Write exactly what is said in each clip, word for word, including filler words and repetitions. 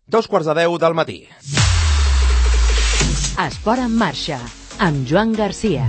Dos quarts de deu del matí. Esport en marxa, amb Joan Garcia.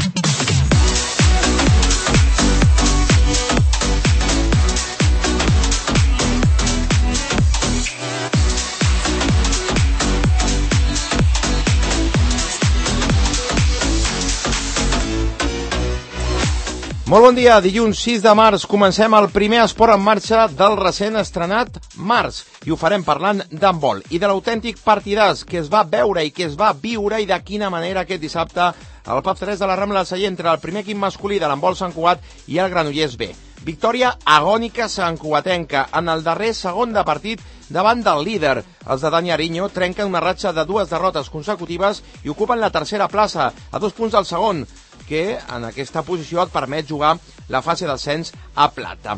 Molt bon dia, dilluns sis de març comencem el primer esport en marxa del recent estrenat març i ho farem parlant d'handbol i de l'autèntic partidàs que es va veure i que es va viure i de quina manera aquest dissabte al Pub tres de la Rambla del Celler entre el primer equip masculí de l'handbol Sant Cugat i el Granollers B. Victòria agònica santcugatenca en el darrer segon de partit davant del líder. Els de Dani Ariño trenquen una ratxa de dues derrotes consecutives i ocupen la tercera plaça, a dos punts del segon, que en aquesta posició et permet jugar la fase d'ascens a plata.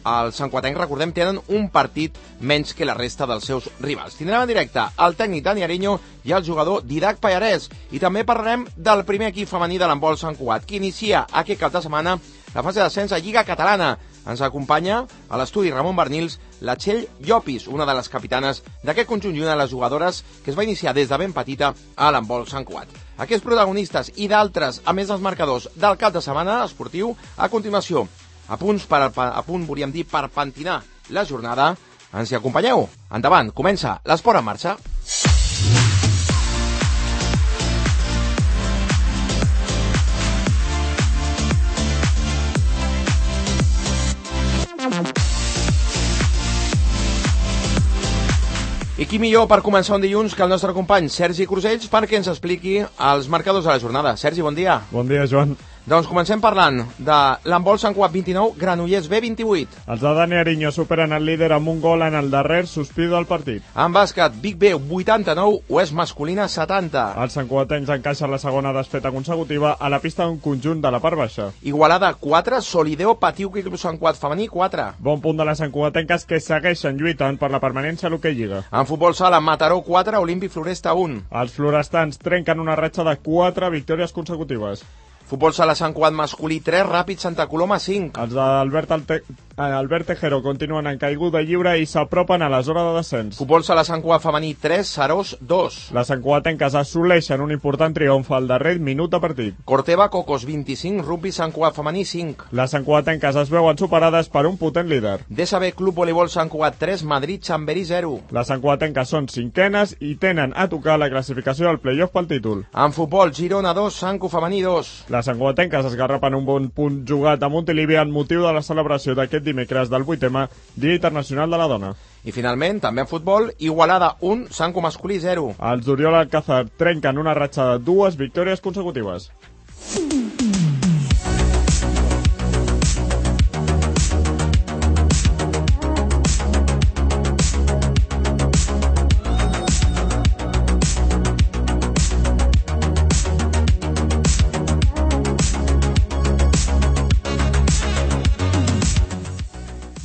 Els santcugatencs, recordem, tenen un partit menys que la resta dels seus rivals. Tindrem en directe el tècnic Dani Ariño i el jugador Didac Pallarès. I també parlarem del primer equip femení de l'handbol Sant Cugat, que inicia aquest cap de setmana la fase d'ascens a Lliga Catalana. Ens acompanya a l'estudi Ramon Bernils la Txell Llopis, una de les capitanes d'aquest conjunt i una de les jugadores que es va iniciar des de ben petita a l'handbol Sant Cugat. Aquests protagonistes i d'altres, a més dels marcadors del cap de setmana esportiu, a continuació, a punts per, a punt, volíem dir, per pentinar la jornada. Ens hi acompanyeu? Endavant, comença l'esport en marxa. I qui millor per començar un dilluns que el nostre company Sergi Crusells perquè ens expliqui els marcadors de la jornada. Sergi, bon dia. Bon dia, Joan. Doncs comencem parlant de l'handbol Sant Cugat vint-i-nou, Granollers B vint-i-vuit. Els de Dani Ariño superen el líder amb un gol en el darrer sospir del partit. En bàsquet, Vic B vuitanta-nou, Oest masculina setanta. Els santcugatencs encaixen la segona desfeta consecutiva a la pista d'un conjunt de la part baixa. Igualada quatre, Solideo Patiu Club Sant Cugat femení quatre. Bon punt de les santcugatenques que segueixen lluitant per la permanència a l'hoquei Lliga. En futbol sala, Mataró quatre, Olímpic Floresta un. Els florestans trenquen una ratxa de quatre victòries consecutives. Futbol sala Sant Cugat masculí tres, Ràpid Santa Coloma cinc. Els d'Albert Alte... Albert Tejero continuen en caiguda lliure i s'apropen a la zona de descens. Futbol sala Sant Cugat femení tres, Serós dos. Les santcugatenques assoleixen un important triomf al darrer minut de partit. Corteva Cocos vint-i-cinc, Rugby Sant Cugat femení cinc. Les santcugatenques es veuen superades per un potent líder. D S B Club Voleibol Sant Cugat tres, Madrid Chamberí zero. Les santcugatenques són cinquenes i tenen a tocar la classificació del playoff pel títol. En futbol, Girona dos, Sanco femení dos. Les santcugatenques esgarrapen un bon punt jugat a Montilivi en motiu de la celebració d'aquest dimecres del vuitè Dia Internacional de la Dona. I finalment, també en futbol, Igualada un, Sanco masculí zero. Els d'Oriol Alcázar trenquen una ratxa de dues victòries consecutives.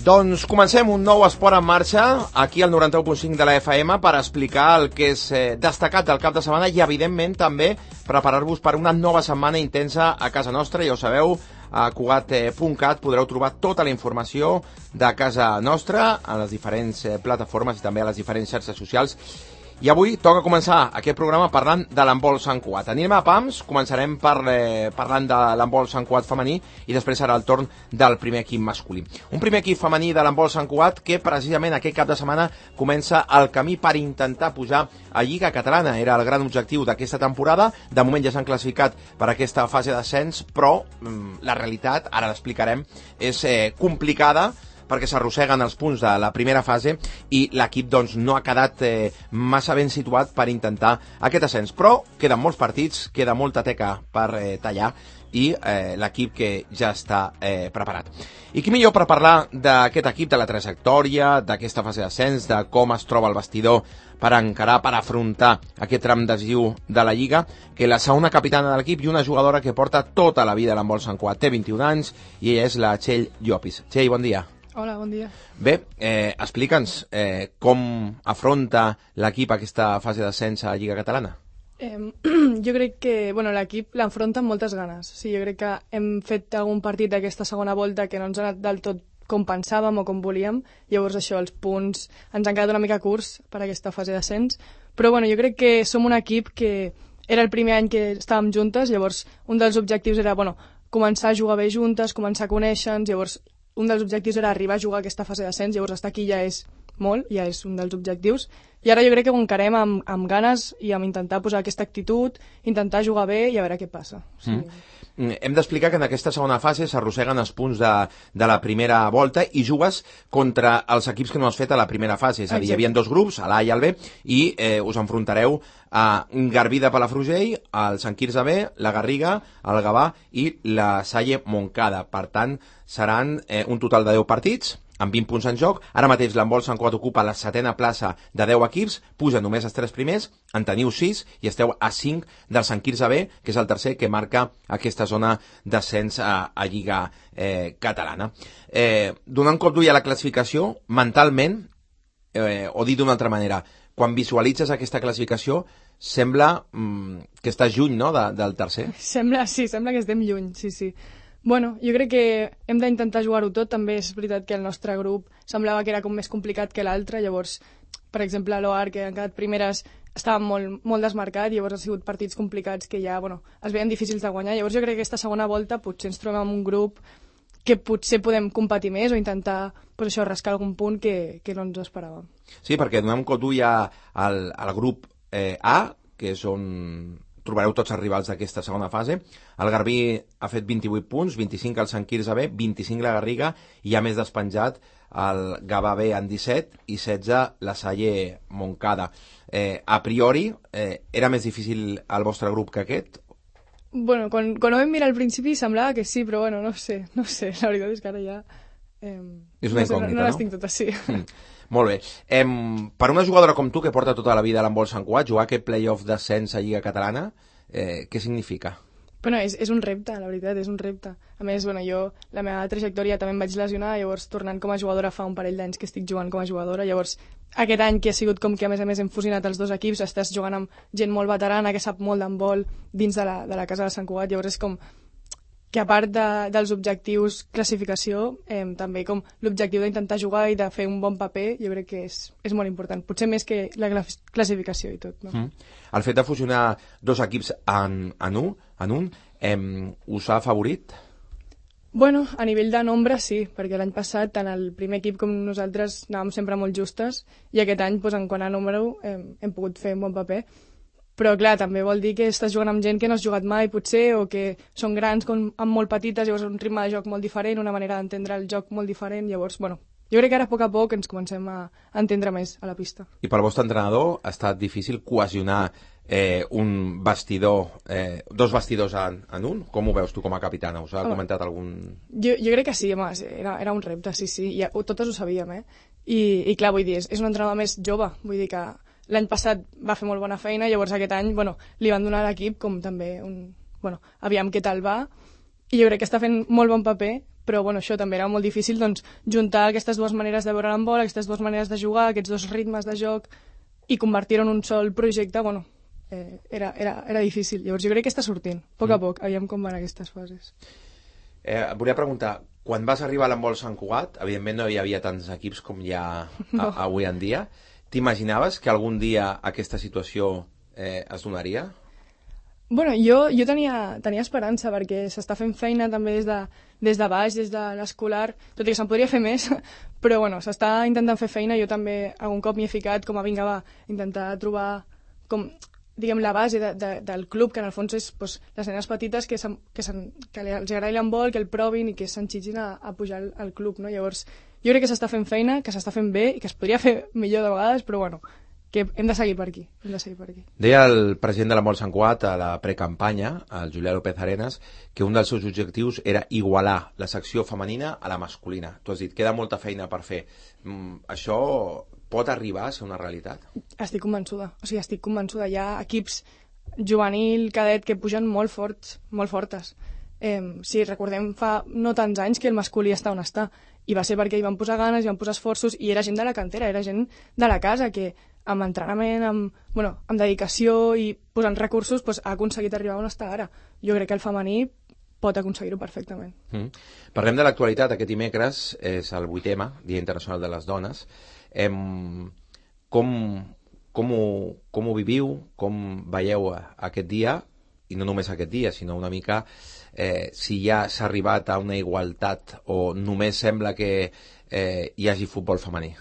Doncs comencem un nou esport en marxa aquí al noranta-u punt cinc de la F M per explicar el que és eh, destacat del cap de setmana i evidentment també preparar-vos per una nova setmana intensa a casa nostra. Ja ho sabeu, a cugat punt cat podreu trobar tota la informació de casa nostra a les diferents eh, plataformes i també a les diferents xarxes socials. I avui toca començar aquest programa parlant de l'handbol Sant Cugat. Anem a pams, començarem per, eh, parlant de l'handbol Sant Cugat femení i després serà el torn del primer equip masculí. Un primer equip femení de l'handbol Sant Cugat que precisament aquest cap de setmana comença el camí per intentar pujar a Lliga Catalana. Era el gran objectiu d'aquesta temporada. De moment ja s'han classificat per aquesta fase d'ascens, però mm, la realitat, ara l'explicarem, és eh, complicada perquè s'arrosseguen els punts de la primera fase i l'equip doncs, no ha quedat eh, massa ben situat per intentar aquest ascens. Però queden molts partits, queda molta teca per eh, tallar i eh, l'equip que ja està eh, preparat. I qui millor per parlar d'aquest equip, de la trajectòria, d'aquesta fase d'ascens, de com es troba el vestidor per encarar, per afrontar aquest tram decisiu de la Lliga, que la segona capitana de l'equip i una jugadora que porta tota la vida a l'handbol Sant Cugat. Té vint-i-un anys i ella és la Txell Llopis. Txell, bon dia. Hola, bon dia. Bé, eh, explica'ns eh, com afronta l'equip aquesta fase d'ascens a Lliga Catalana. Eh, jo crec que bueno, l'equip l'enfronta amb moltes ganes. Sí, jo crec que hem fet algun partit d'aquesta segona volta que no ens ha anat del tot com pensàvem o com volíem, llavors això, els punts ens han quedat una mica curts per aquesta fase d'ascens, però bueno, jo crec que som un equip que era el primer any que estàvem juntes, llavors un dels objectius era, bueno, començar a jugar bé juntes, començar a conèixer-nos, llavors un dels objectius era arribar a jugar a aquesta fase d'ascens, llavors estar aquí ja és molt, ja és un dels objectius, i ara jo crec que ho encarem amb, amb ganes i amb intentar posar aquesta actitud, intentar jugar bé i a veure què passa. O sigui... mm. Hem d'explicar que en aquesta segona fase s'arrosseguen els punts de, de la primera volta i jugues contra els equips que no has fet a la primera fase, és a dir, hi havia dos grups, l'A i el B, i eh, us enfrontareu a Garbí de Palafrugell, el Sant Quirze B, la Garriga, el Gavà i la Salle Montcada. Per tant, seran eh, un total de deu partits, amb vint punts en joc. Ara mateix l'handbol Sant Cugat ocupa la setena plaça de deu equips, puja només els tres primers, en teniu sis i esteu a cinc del Sant Quirze B, que és el tercer que marca aquesta zona d'ascens a, a Lliga eh, Catalana. Eh, donant cop d'ull a la classificació, mentalment, eh, o dit d'una altra manera, quan visualitzes aquesta classificació, sembla mm, que estàs lluny, no?, de, del tercer. Sembla, sí, sembla que estem lluny, sí, sí. Bueno, jo crec que hem d'intentar jugar-ho tot. També és veritat que el nostre grup semblava que era com més complicat que l'altre. Llavors, per exemple, l'O A R, que han quedat primeres, estava molt, molt desmarcat. Llavors, ha sigut partits complicats que ja, bueno, es veien difícils de guanyar. Llavors, jo crec que aquesta segona volta potser ens trobem amb un grup que potser podem competir més o intentar, pues això, rascar algun punt que, que no ens esperàvem. Sí, perquè donem cop d'ull al, al grup eh, A, que és on trobareu tots els rivals d'aquesta segona fase. El Garbí ha fet vint-i-vuit punts, vint-i-cinc al Sant Quirze B, vint-i-cinc la Garriga, i a més despenjat el Gavà B en disset i setze la Salle Montcada. Eh, a priori, eh, era més difícil el vostre grup que aquest? Bueno, quan, quan ho vam mirar al principi semblava que sí, però bueno, no sé, no sé, la veritat és que ara ja... Eh, és una no sé, incògnita, no, no les no? tinc totes, sí. Mm. Molt bé. Eh, per una jugadora com tu, que porta tota la vida a l'handbol Sant Cugat, jugar aquest play-off d'ascens a Lliga Catalana, eh, què significa? Bueno, és, és un repte, la veritat, és un repte. A més, bueno, jo, la meva trajectòria també em vaig lesionar, llavors tornant com a jugadora fa un parell d'anys que estic jugant com a jugadora, llavors aquest any que ha sigut com que a més a més hem fusionat els dos equips, estàs jugant amb gent molt veterana que sap molt d'handbol dins de la, de la casa de Sant Cugat, llavors és com que a part de, dels objectius classificació, eh, també com l'objectiu d'intentar jugar i de fer un bon paper, jo crec que és, és molt important. Potser més que la classificació i tot, no? Mm. El fet de fusionar dos equips en, en un, en un eh, us ha afavorit? Bueno, a nivell de nombre sí, perquè l'any passat tant el primer equip com nosaltres anàvem sempre molt justes i aquest any, doncs, en quant a número, eh, hem pogut fer un bon paper. Però, clar, també vol dir que estàs jugant amb gent que no has jugat mai, potser, o que són grans com amb molt petites, llavors un ritme de joc molt diferent, una manera d'entendre el joc molt diferent, llavors, bueno, jo crec que ara a poc a poc ens comencem a entendre més a la pista. I pel vostre entrenador ha estat difícil cohesionar eh, un vestidor, eh, dos vestidors en, en un? Com ho veus tu com a capitana? Us ha home, comentat algun... Jo, jo crec que sí, home, era, era un repte, sí, sí, i totes ho sabíem, eh? I, i clar, vull dir, és, és un entrenador més jove, vull dir que l'any passat va fer molt bona feina, llavors aquest any, bueno, li van donar a l'equip com també un... Bueno, aviam què tal va, i jo crec que està fent molt bon paper, però bueno, això també era molt difícil, doncs, juntar aquestes dues maneres de veure l'handbol, aquestes dues maneres de jugar, aquests dos ritmes de joc, i convertir-ho en un sol projecte, bueno, eh, era, era, era difícil. Llavors jo crec que està sortint, a poc a poc, aviam com van aquestes fases. Eh, et volia preguntar, quan vas arribar a l'handbol Sant Cugat, evidentment no hi havia tants equips com hi ha no. a, avui en dia, t'imaginaves que algun dia aquesta situació eh, es donaria? Bueno, jo, jo tenia, tenia esperança perquè s'està fent feina també des de, des de baix, des de l'escolar, tot i que se'n podria fer més, però bueno, s'està intentant fer feina, jo també algun cop m'hi he ficat com a vinga va, intentar trobar com, diguem, la base de, de, del club, que en el fons és pues, les nenes petites que, que, que els agradi l'handbol, que el provin i que s'enxitgin a, a pujar al, al club, no? Llavors, jo crec que s'està fent feina, que s'està fent bé i que es podria fer millor de vegades, però bueno, que hem de seguir per aquí, hem de seguir per aquí. Deia el president de l'handbol Sant Cugat a la precampanya, el Julià López Arenas, que un dels seus objectius era igualar la secció femenina a la masculina. Tu has dit, queda molta feina per fer. Mm, això pot arribar a ser una realitat? Estic convençuda, o sigui, estic convençuda. Hi ha equips juvenil, cadet, que pugen molt forts, molt fortes. Eh, si recordem, fa no tants anys que el masculí està on està, i va ser perquè hi van posar ganes, hi van posar esforços, i era gent de la cantera, era gent de la casa, que amb entrenament, amb, bueno, amb dedicació i posant recursos, pues, ha aconseguit arribar on està ara. Jo crec que el femení pot aconseguir-ho perfectament. Mm. Parlem de l'actualitat. Aquest dimecres és el vuitè, Dia Internacional de les Dones. Em... Com, com, ho, com ho viviu? Com veieu aquest dia? I no només aquest dia, sinó una mica eh, si ja s'ha arribat a una igualtat o només sembla que eh, hi hagi futbol femení.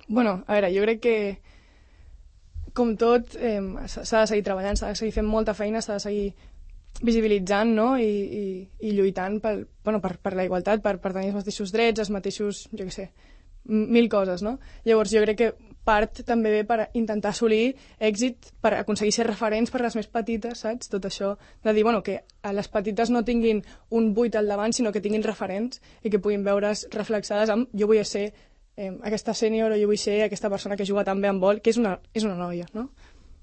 Bueno, a veure, jo crec que com tot eh, s'ha de seguir treballant, s'ha de seguir fent molta feina, s'ha de seguir visibilitzant, no? I, i, i lluitant per, bueno, per, per la igualtat, per, per tenir els mateixos drets, els mateixos, jo què sé, mil coses, no? Llavors jo crec que part també ve per intentar assolir èxit, per aconseguir ser referents per les més petites, saps? Tot això de dir, bueno, que les petites no tinguin un buit al davant, sinó que tinguin referents i que puguin veure's reflexades amb jo vull ser eh, aquesta sènior o jo vull ser aquesta persona que juga tan bé en vol, que és una, és una noia, no?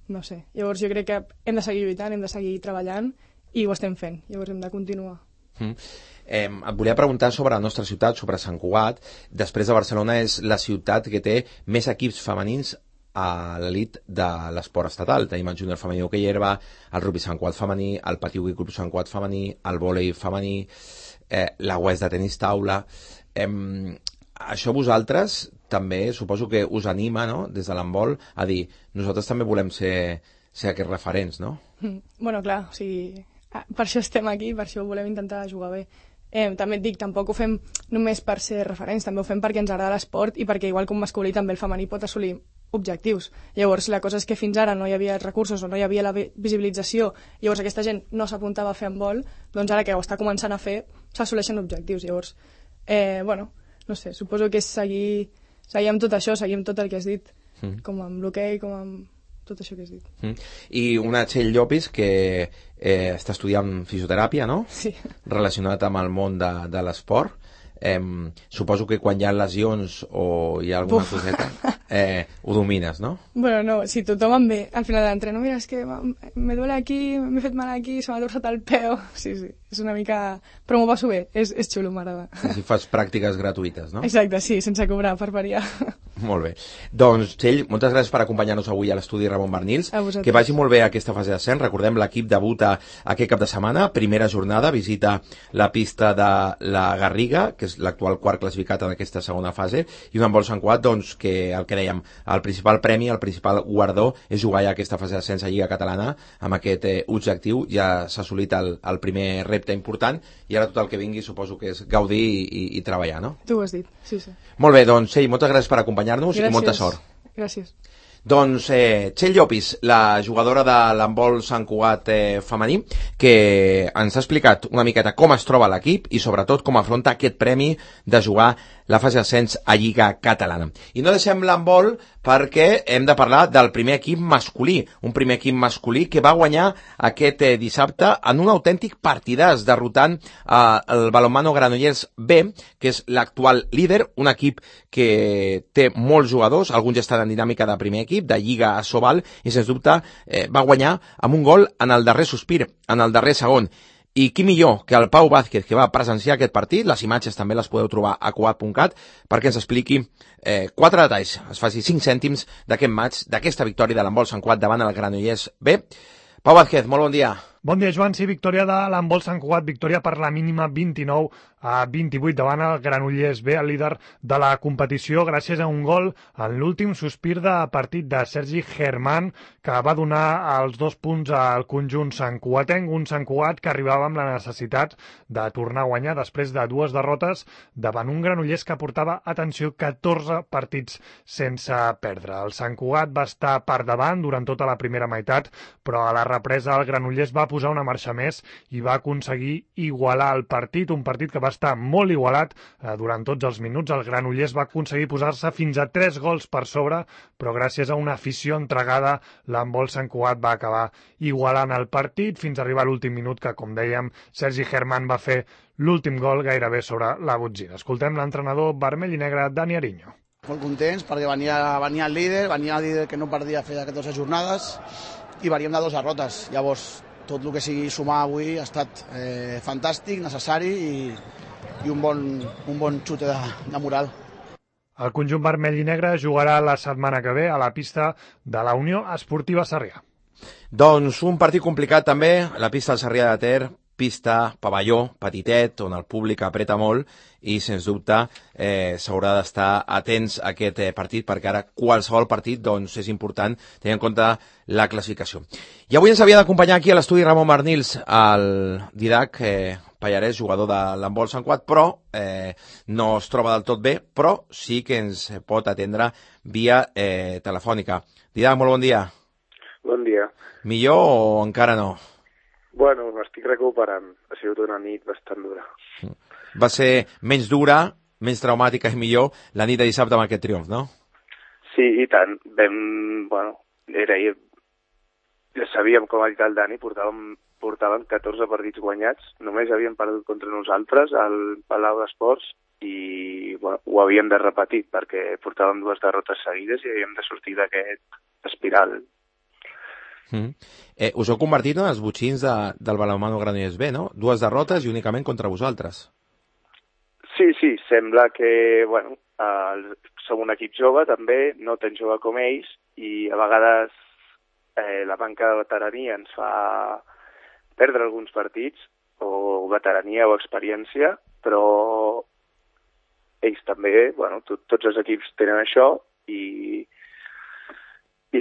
No sé. Llavors jo crec que hem de seguir lluitant, hem de seguir treballant i ho estem fent. Llavors hem de continuar. Mm. Eh, et volia preguntar sobre la nostra ciutat, sobre Sant Cugat. Després de Barcelona és la ciutat que té més equips femenins a l'elit de l'esport estatal. Tenim el júnior femení d'hoquei herba, el rugby Sant Cugat femení, el Patí Hoquei Club Sant Cugat femení, el vòlei femení, eh, la U E S de tenis taula. Eh, això vosaltres també suposo que us anima, no?, des de l'handbol a dir, nosaltres també volem ser, ser aquests referents, no? Mm. Bueno, clar, o sigui, per això estem aquí, per això volem intentar jugar bé. Eh, també et dic, tampoc ho fem només per ser referents, també ho fem perquè ens agrada l'esport i perquè igual com masculí també el femení pot assolir objectius. Llavors la cosa és que fins ara no hi havia recursos o no hi havia la visibilització, llavors aquesta gent no s'apuntava a fer handbol, doncs ara que ho està començant a fer s'assoleixen objectius. Llavors, eh, bueno, no sé, suposo que és seguir, seguir amb tot això, seguir amb tot el que has dit, mm. com amb l'hoquei, com amb tot això que has dit. Mm. I una Txell Llopis que eh, està estudiant fisioteràpia, no? Sí. Relacionat amb el món de, de l'esport. Eh, suposo que quan hi ha lesions o hi ha alguna Uf. coseta, eh, ho domines, no? Bueno, no, si tothom em ve al final de l'entreno, mira, és que me duele aquí, m'he fet mal aquí, se m'ha torçat el peu. Sí, sí, és una mica... Però m'ho passo bé, és, és xulo, m'agrada. Si fas pràctiques gratuïtes, no? Exacte, sí, sense cobrar, per variar. Molt bé. Doncs, Txell, moltes gràcies per acompanyar-nos avui a l'estudi Ramon Bernils. Que vagi molt bé aquesta fase d'ascens. Recordem, l'equip debuta aquest cap de setmana, primera jornada, visita la pista de la Garriga, que és l'actual quart classificat en aquesta segona fase, i un handbol Sant Cugat, doncs, que el que dèiem, el principal premi, el principal guardó és jugar ja aquesta fase d'ascens a Lliga Catalana amb aquest eh, objectiu. Ja s'ha assolit el, el primer repte important i ara tot el que vingui suposo que és gaudir i, i, i treballar, no? Tu ho has dit, sí, sí. Molt bé, doncs, Txell, moltes gràcies per acompanyar-nos i molta sort. Gràcies. Doncs eh, Txell Llopis, la jugadora de l'handbol Sant Cugat eh, femení, que ens ha explicat una miqueta com es troba l'equip i sobretot com afronta aquest premi de jugar la fase d'ascens a Lliga Catalana. I no deixem l'handbol perquè hem de parlar del primer equip masculí, un primer equip masculí que va guanyar aquest eh, dissabte en un autèntic partidàs, derrotant eh, el Balonmano Granollers B, que és l'actual líder, un equip que té molts jugadors, alguns ja estan en dinàmica de primer equip, de Lliga a Sobal, i sens dubte eh, va guanyar amb un gol en el darrer sospir, en el darrer segon. I qui millor que el Pau Vázquez, que va presenciar aquest partit, les imatges també les podeu trobar a cugat punt cat, perquè ens expliqui eh, quatre detalls, es faci cinc cèntims d'aquest maig, d'aquesta victòria de l'handbol Sant Cugat davant el Granollers B. Pau Vázquez, molt bon dia. Bon dia, Joan. Sí, victòria de l'handbol Sant Cugat, victòria per la mínima vint-i-nou a vint-i-vuit davant el Granollers B, el líder de la competició, gràcies a un gol en l'últim sospir de partit de Sergi Germán, que va donar els dos punts al conjunt santcugatenc, un Sant Cugat que arribava amb la necessitat de tornar a guanyar després de dues derrotes davant un Granollers que portava, atenció, catorze partits sense perdre. El Sant Cugat va estar per davant durant tota la primera meitat, però a la represa el Granollers va posar una marxa més i va aconseguir igualar el partit, un partit que va estar molt igualat eh, durant tots els minuts. El Granollers va aconseguir posar-se fins a tres gols per sobre, però gràcies a una afició entregada, l'handbol Sant Cugat va acabar igualant el partit fins a arribar a l'últim minut, que, com dèiem, Sergi Germán va fer l'últim gol gairebé sobre la botzina. Escoltem l'entrenador vermell i negre, Dani Ariño. Molt contents perquè venia, venia el líder, venia el líder que no perdia fer catorze jornades i veníem de dues derrotes. Llavors, tot el que sigui sumar avui ha estat eh, fantàstic, necessari i, i un bon, un bon xute de, de moral. El conjunt vermell i negre jugarà la setmana que ve a la pista de la Unió Esportiva Sarrià. Doncs un partit complicat també, la pista del Sarrià de Ter, pista, pavelló, petitet, on el públic apreta molt i, sens dubte, eh, s'haurà d'estar atents a aquest eh, partit, perquè ara qualsevol partit doncs, és important tenir en compte la classificació. I avui ens havia d'acompanyar aquí a l'estudi Ramon Barnils, el Didac eh, Pallarès, jugador de l'handbol Sant Cugat, però eh, no es troba del tot bé, però sí que ens pot atendre via eh, telefònica. Didac, molt bon dia. Bon dia. Millor o encara no? Bueno, m'estic recuperant. Ha sigut una nit bastant dura. Va ser menys dura, menys traumàtica i millor la nit de dissabte amb aquest triomf, no? Sí, i tant. Vam, bueno, era... Ja sabíem, com ha dit el Dani, portàvem, portàvem catorze partits guanyats, només havíem perdut contra nosaltres al Palau d'Esports i bueno, ho havíem de repetir perquè portàvem dues derrotes seguides i havíem de sortir d'aquest espiral. Mm. Eh, us heu convertit en els botxins de, del Balonmano Granollers B, no? Dues derrotes i únicament contra vosaltres. Sí, sí, sembla que, bueno, eh, som un equip jove també, no tan jove com ells, i a vegades eh, la manca de veterania ens fa perdre alguns partits, o veterania o experiència, però ells també, bueno, tot, tots els equips tenen això, i i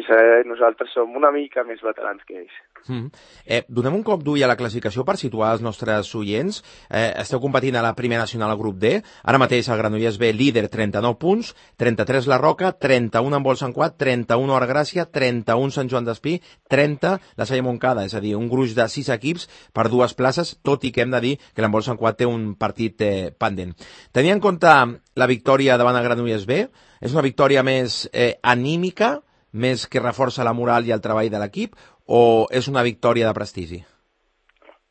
nosaltres som una mica més veterans que ells. Mm. Eh, donem un cop d'ull a la classificació per situar els nostres oients. Eh, esteu competint a la primera nacional al grup D. Ara mateix el Granollers B líder, trenta-nou punts, trenta-tres la Roca, trenta-un Handbol Sant Cugat, trenta-un Artgràcia, trenta-un Sant Joan d'Espí, trenta la Salle Montcada, és a dir, un gruix de sis equips per dues places, tot i que hem de dir que l'Handbol Sant Cugat té un partit eh, pendent. Tenint en compte la victòria davant el Granollers B, és una victòria més eh, anímica, més que reforça la moral i el treball de l'equip, o és una victòria de prestigi?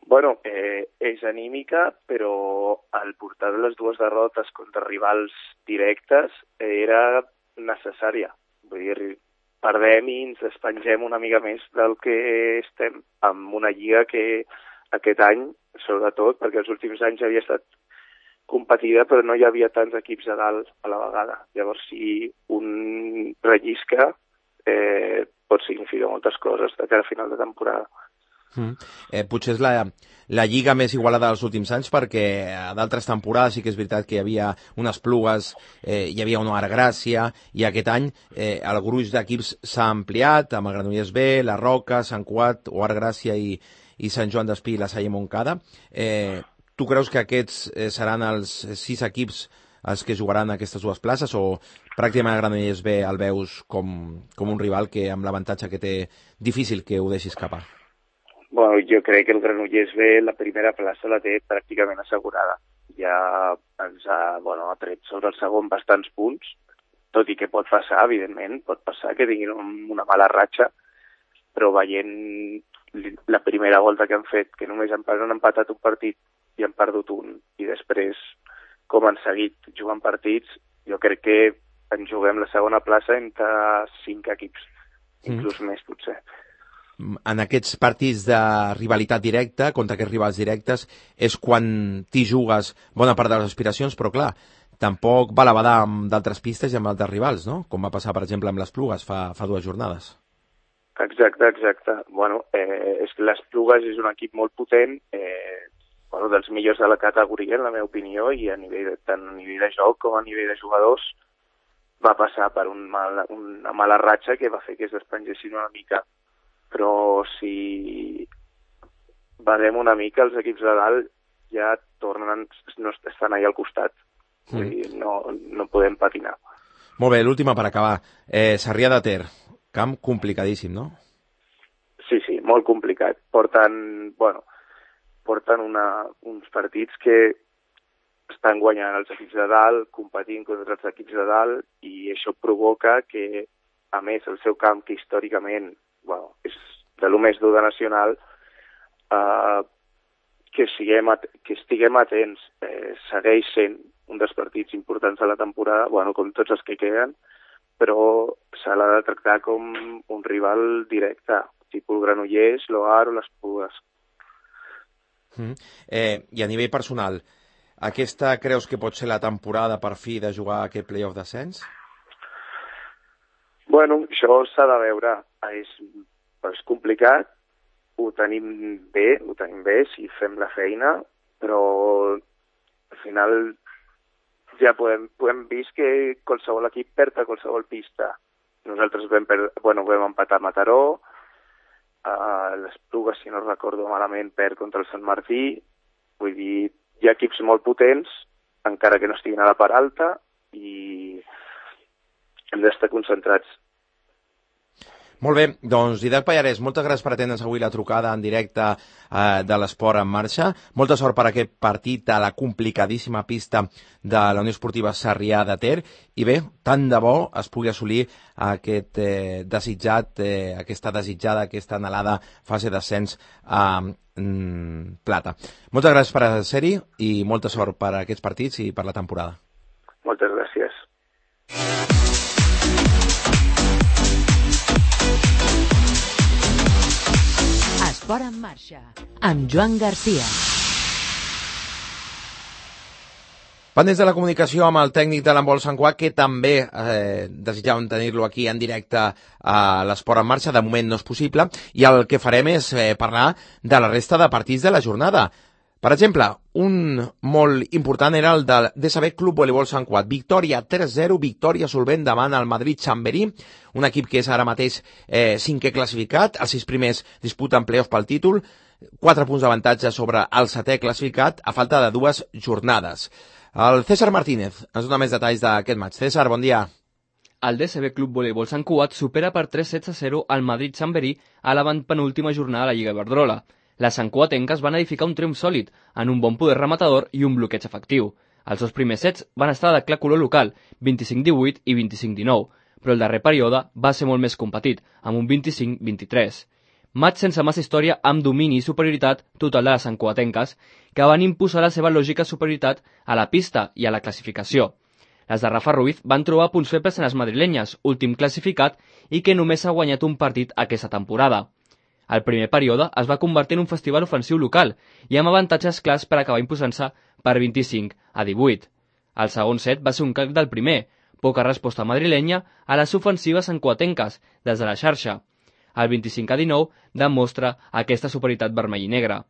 Bueno, eh, és anímica, però el portar les dues derrotes contra rivals directes era necessària. Vull dir, perdem i ens despengem una mica més del que estem amb una lliga que aquest any, sobretot, perquè els últims anys havia estat competida, però no hi havia tants equips a dalt a la vegada. Llavors, si un rellisca, Eh, pot significar moltes coses de cara a final de temporada. Mm. Eh, potser és la, la lliga més igualada dels últims anys, perquè a d'altres temporades sí que és veritat que hi havia unes Plugues, eh, hi havia una Artgràcia, i aquest any eh, el gruix d'equips s'ha ampliat amb el Granollers B, la Roca, Sant Cugat o Artgràcia i, i Sant Joan d'Espí i la Salle Montcada. Eh, tu creus que aquests eh, seran els sis equips els que jugaran aquestes dues places, o pràcticament el Granollers B el veus com, com un rival que amb l'avantatge que té difícil que ho deixi escapar? Bueno, jo crec que el Granollers B la primera plaça la té pràcticament assegurada. Ja ens ha, bueno, ha tret sobre el segon bastants punts, tot i que pot passar, evidentment, pot passar que tinguin una mala ratxa, però veient la primera volta que han fet, que només han, han empatat un partit i han perdut un, i després com han seguit jugant partits, jo crec que en juguem la segona plaça entre cinc equips, inclús mm. més, potser. En aquests partits de rivalitat directa, contra aquests rivals directes, és quan t'hi jugues bona part de les aspiracions, però clar, tampoc val a badar amb d'altres pistes i amb altres rivals, no? Com va passar, per exemple, amb les Plugues fa, fa dues jornades. Exacte, exacte. Bueno, eh, és que les Plugues és un equip molt potent, eh, bueno, dels millors de la categoria, en la meva opinió, i a nivell, tant a nivell de joc com a nivell de jugadors, va passar per un mal, una mala ratxa que va fer que es despengessin una mica. Però si badem una mica, els equips de dalt ja tornen, no estan allà al costat. Mm. Vull dir, no, no podem patinar. Molt bé, l'última per acabar. Eh, Sarrià de Ter, camp complicadíssim, no? Sí, sí, molt complicat. Porten, bueno, porten una, uns partits que estan guanyant els equips de dalt, competint contra els equips de dalt, i això provoca que, a més, el seu camp, que històricament bueno, és de lo més dur de nacional, eh, que, siguem at que estiguem atents. Eh, segueix sent un dels partits importants de la temporada, bueno, com tots els que queden, però se l'ha de tractar com un rival directe, tipus Granollers, l'Oar o les Pugues. Mm. Eh, I a nivell personal, aquesta creus que pot ser la temporada per fi de jugar aquest play-off d'ascens? Bueno, això s'ha de veure. És, és complicat. ho tenim bé, ho tenim bé si fem la feina, però al final ja podem, podem vist que qualsevol equip perd a qualsevol pista. Nosaltres vam, per, bueno, vam empatar a Mataró, a l'Espluga, si no recordo malament, perd contra el Sant Martí. Vull dir, hi ha equips molt potents, encara que no estiguin a la part alta, i hem d'estar concentrats. Molt bé, doncs Didac Pallarès, moltes gràcies per atendre'ns avui la trucada en directe eh, de l'Esport en Marxa. Molta sort per aquest partit a la complicadíssima pista de la Unió Esportiva Sarrià de Ter. I bé, tant de bo es pugui assolir aquest eh, desitjat, eh, aquesta desitjada, aquesta anhelada fase d'ascens a mm, Plata. Moltes gràcies per ser-hi i molta sort per aquests partits i per la temporada. Moltes gràcies. Esport en Marxa, amb Joan Garcia. Pendents de la comunicació amb el tècnic de l'handbol Sant Cugat, que també eh, desitjàvem tenir-lo aquí en directe a l'Esport en Marxa. De moment no és possible, i el que farem és eh, parlar de la resta de partits de la jornada. Per exemple, un molt important era el del D S B Club Voleibol Sant Cugat. Victòria tres zero, victòria solvent davant el Madrid Chamberí, un equip que és ara mateix eh, cinquè classificat, els sis primers disputen play-off pel títol, quatre punts d'avantatge sobre el setè classificat a falta de dues jornades. El César Martínez ens dona més detalls d'aquest match. César, bon dia. El D S B Club Voleibol Sant Cugat supera per tres sets a zero al Madrid Chamberí a la penúltima jornada de la Lliga Iberdrola. Les santcugatenques van edificar un triomf sòlid, en un bon poder rematador i un bloqueig efectiu. Els dos primers sets van estar de clar color local, vint-i-cinc divuit i vint-i-cinc dinou, però el darrer període va ser molt més competit, amb un vint-i-cinc vint-i-tres. Match sense massa història, amb domini i superioritat total de les santcugatenques, que van imposar la seva lògica superioritat a la pista i a la classificació. Les de Rafa Ruiz van trobar punts febles en les madrilenyes, últim classificat, i que només ha guanyat un partit aquesta temporada. El primer període es va convertir en un festival ofensiu local i amb avantatges clars per acabar imposant-se per vint-i-cinc a divuit. El segon set va ser un calc del primer, poca resposta madrilenya a les ofensives santcugatenques des de la xarxa. El vint-i-cinc a dinou demostra aquesta superioritat vermell i negra.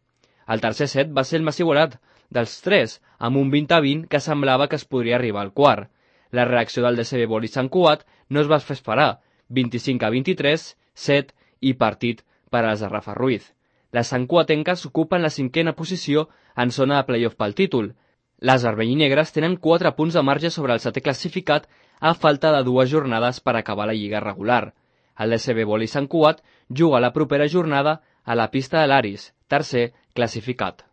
El tercer set va ser el més igualat dels tres, amb un vint a vint que semblava que es podria arribar al quart. La reacció del D S B Volley Sant Cugat no es va fer esperar, vint-i-cinc a vint-i-tres, set i partit per a les de Rafa Ruiz. Les santcugatenques ocupen la cinquena posició en zona de play-off pel títol. Les vermell i negres tenen quatre punts de marge sobre el setè classificat a falta de dues jornades per acabar la lliga regular. El D S B Volley Sant Cugat juga la propera jornada a la pista de l'Aris, tercer classificat.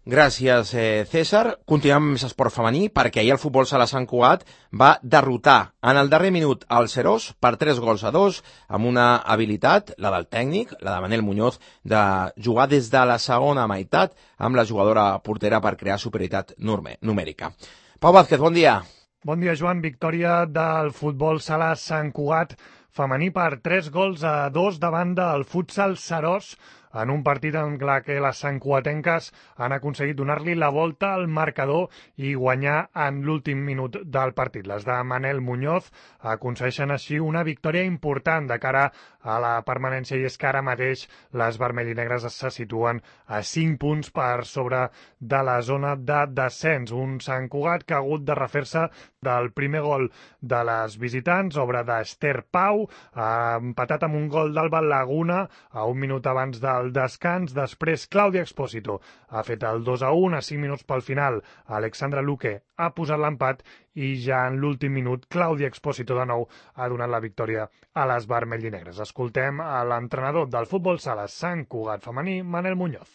Gràcies, eh, César. Continuem amb més esport femení, perquè ahir el futbol sala Sant Cugat va derrotar en el darrer minut el Serós per tres gols a dos, amb una habilitat, la del tècnic, la de Manel Muñoz, de jugar des de la segona meitat amb la jugadora portera per crear superioritat numèrica. Pau Vázquez, bon dia. Bon dia, Joan. Victòria del futbol sala Sant Cugat femení per tres gols a dos davant del futsal Serós, en un partit en què les santcugatenques han aconseguit donar-li la volta al marcador i guanyar en l'últim minut del partit. Les de Manel Muñoz aconsegueixen així una victòria important de cara a la permanència, i és que ara mateix les vermell i negres se situen a cinc punts per sobre de la zona de descens. Un Sant Cugat que ha hagut de refer-se del primer gol de les visitants, obra d'Ester Pau, ha empatat amb un gol d'Alba Laguna a un minut abans del descans. Després Clàudia Expósito ha fet el dos a un a cinc minuts pel final. Alexandra Luque ha posat l'empat i ja en l'últim minut Clàudia Expósito de nou ha donat la victòria a les vermell i negres. Escoltem a l'entrenador del futbol sala Sant Cugat femení, Manel Muñoz.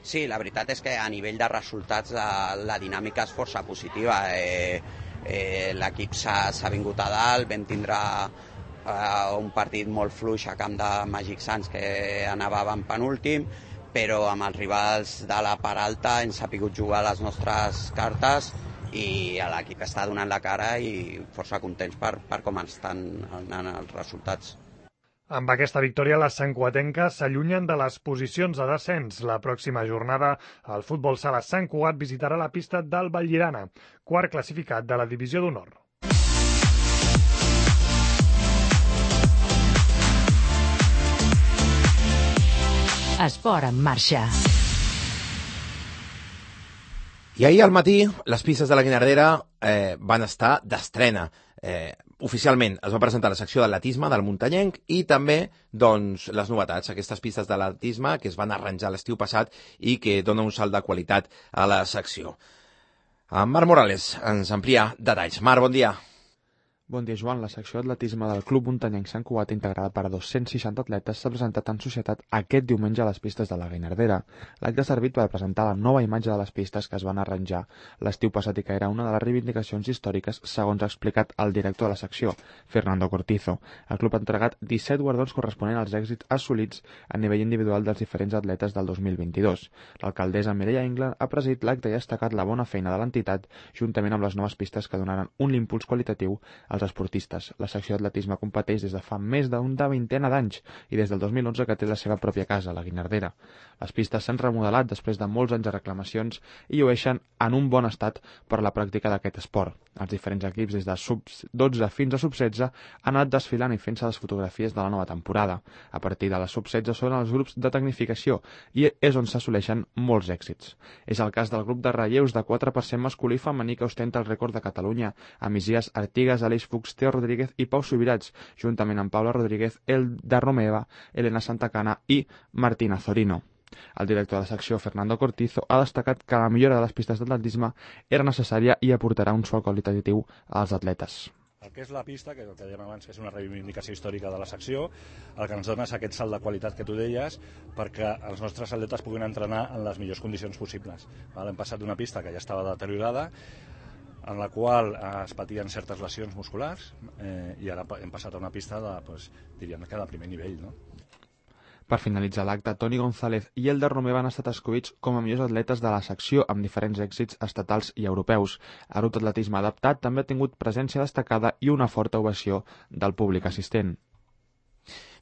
Sí, la veritat és que a nivell de resultats la, la dinàmica és força positiva. Eh, eh, L'equip s'ha vingut a dalt, vam tindre eh, un partit molt fluix a camp de Màgic Sants que anàvem penúltim, però amb els rivals de la part alta hem sabut jugar les nostres cartes i l'equip està donant la cara i força contents per, per com estan anant els resultats. Amb aquesta victòria, les santcugatenques s'allunyen de les posicions de descens. La pròxima jornada, el futbol sala Sant Cugat visitarà la pista del Vallirana, quart classificat de la divisió d'honor. Esport en marxa. I ahir al matí les pistes de la Guinardera eh, van estar d'estrena. Eh, oficialment es va presentar la secció d'atletisme del muntanyenc i també doncs, les novetats, aquestes pistes d'atletisme que es van arranjar l'estiu passat i que donen un salt de qualitat a la secció. En Marc Morales ens amplia detalls. Marc, bon dia. Bon dia, Joan. La secció d'atletisme del Club Muntanyenc Sant Cugat, integrada per dos-cents seixanta atletes, s'ha presentat en societat aquest diumenge a les pistes de la Guinardera. L'acte ha servit per presentar la nova imatge de les pistes que es van arranjar l'estiu passat i que era una de les reivindicacions històriques, segons ha explicat el director de la secció, Fernando Cortizo. El club ha entregat disset guardons corresponents als èxits assolits a nivell individual dels diferents atletes del dos mil vint-i-dos. L'alcaldessa Mireia England ha presidit l'acte i ha destacat la bona feina de l'entitat, juntament amb les noves pistes que donaran un impuls qualitatiu als esportistes. La secció d'atletisme competeix des de fa més d'una vintena d'anys i des del dos mil onze que té la seva pròpia casa, la Guinardera. Les pistes s'han remodelat després de molts anys de reclamacions i llueixen en un bon estat per a la pràctica d'aquest esport. Els diferents equips, des de sub dotze fins a sub setze, han anat desfilant i fent-se les fotografies de la nova temporada. A partir de la sub setze són els grups de tecnificació i és on s'assoleixen molts èxits. És el cas del grup de relleus de quatre per cent masculí i femení que ostenta el rècord de Catalunya, amb Isias Artigas, Aleix Fuchs, Teo Rodríguez i Pau Subirats, juntament amb Paula Rodríguez, Elda Romeva, Elena Santacana i Martina Zorino. El director de la secció, Fernando Cortizo, ha destacat que la millora de les pistes d'atletisme era necessària i aportarà un salt qualitatiu als atletes. El que és la pista, que el que dèiem abans, que és una reivindicació històrica de la secció, el que ens dona és aquest salt de qualitat que tu deies, perquè els nostres atletes puguin entrenar en les millors condicions possibles. Hem passat d'una pista que ja estava deteriorada, en la qual es patien certes lesions musculars, eh, i ara hem passat a una pista de, doncs, diríem que de primer nivell, no? Per finalitzar l'acte, Toni González i Elda Romeva han estat escollits com a millors atletes de la secció amb diferents èxits estatals i europeus. El grup d'atletisme adaptat també ha tingut presència destacada i una forta ovació del públic assistent.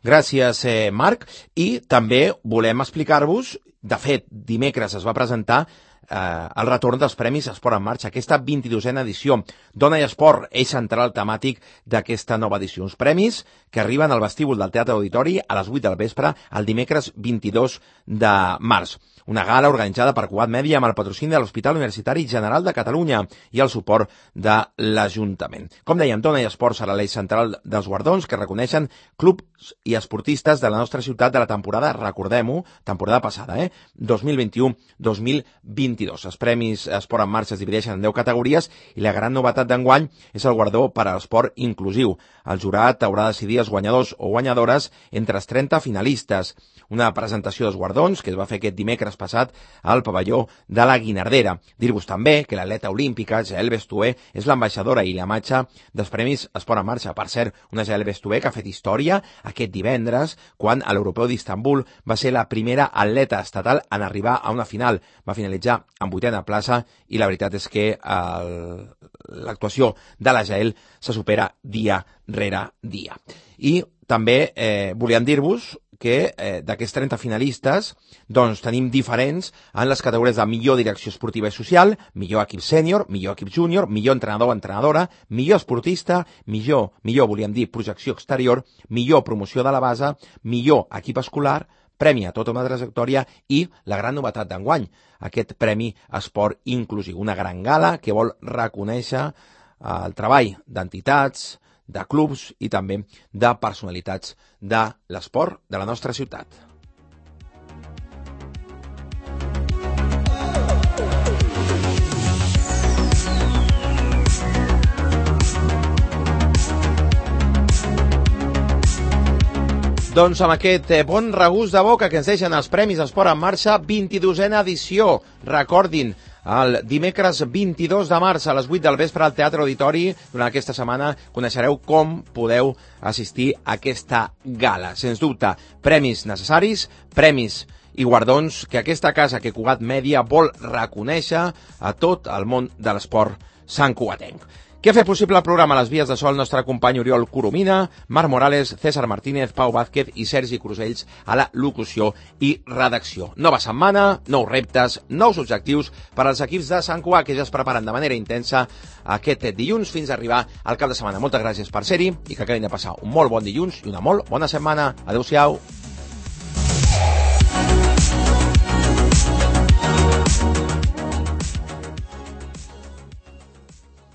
Gràcies, eh, Marc. I també volem explicar-vos, de fet, dimecres es va presentar eh, el retorn dels Premis Esport en Marxa, aquesta vint-i-dosena edició. Dona i Esport, eix central temàtic d'aquesta nova edició. Uns premis que arriben al vestíbul del Teatre Auditori a les vuit del vespre el dimecres vint-i-dos de març. Una gala organitzada per Cugat Mèdia amb el patrocini de l'Hospital Universitari General de Catalunya i el suport de l'Ajuntament. Com dèiem, Dona i Esport serà l'eix central dels guardons que reconeixen clubs i esportistes de la nostra ciutat de la temporada, recordem-ho, temporada passada, eh? dos mil vint-i-u dos mil vint-i-dos. Els Premis Esport en Marxa es divideixen en deu categories i la gran novetat d'enguany és el guardó per a l'esport inclusiu. El jurat haurà de decidir els guanyadors o guanyadores entre els trenta finalistes. Una presentació dels guardons que es va fer aquest dimecres passat al pavelló de la Guinardera. Dir-vos també que l'atleta olímpica, Jael Bestué, és l'ambaixadora i la matxa dels Premis Esport en Marxa. Per cert, una Jael Bestué que ha fet història aquest divendres quan a l'Europeu d'Istanbul va ser la primera atleta estatal en arribar a una final. Va finalitzar en vuitena plaça i la veritat és que l'actuació de la Jael se supera dia rere dia. I també eh, volíem dir-vos que eh, d'aquests trenta finalistes doncs tenim diferents en les categories de millor direcció esportiva i social, millor equip sènior, millor equip júnior, millor entrenador o entrenadora, millor esportista, millor, millor volíem dir projecció exterior, millor promoció de la base, millor equip escolar, premi a tota una trajectòria i la gran novetat d'enguany, aquest Premi Esport Inclusiu, una gran gala que vol reconèixer el treball d'entitats, de clubs i també de personalitats de l'esport de la nostra ciutat. Doncs amb aquest bon regust de boca que ens deixen els Premis Esport en Marxa, vint-i-dosena edició. Recordin, el dimecres vint-i-dos de març a les vuit del vespre al Teatre Auditori. Durant aquesta setmana coneixereu com podeu assistir a aquesta gala. Sens dubte, premis necessaris, premis i guardons que aquesta casa, que Cugat Mèdia, vol reconèixer a tot el món de l'esport santcugatenc. Què ha fet possible el programa a les vies de so el nostre company Oriol Coromina, Marc Morales, César Martínez, Pau Vázquez i Sergi Crusells a la locució i redacció. Nova setmana, nous reptes, nous objectius per als equips de Sant Cugat que ja es preparen de manera intensa aquest dilluns fins a arribar al cap de setmana. Moltes gràcies per ser-hi i que acabin de passar un molt bon dilluns i una molt bona setmana. Adéu-siau.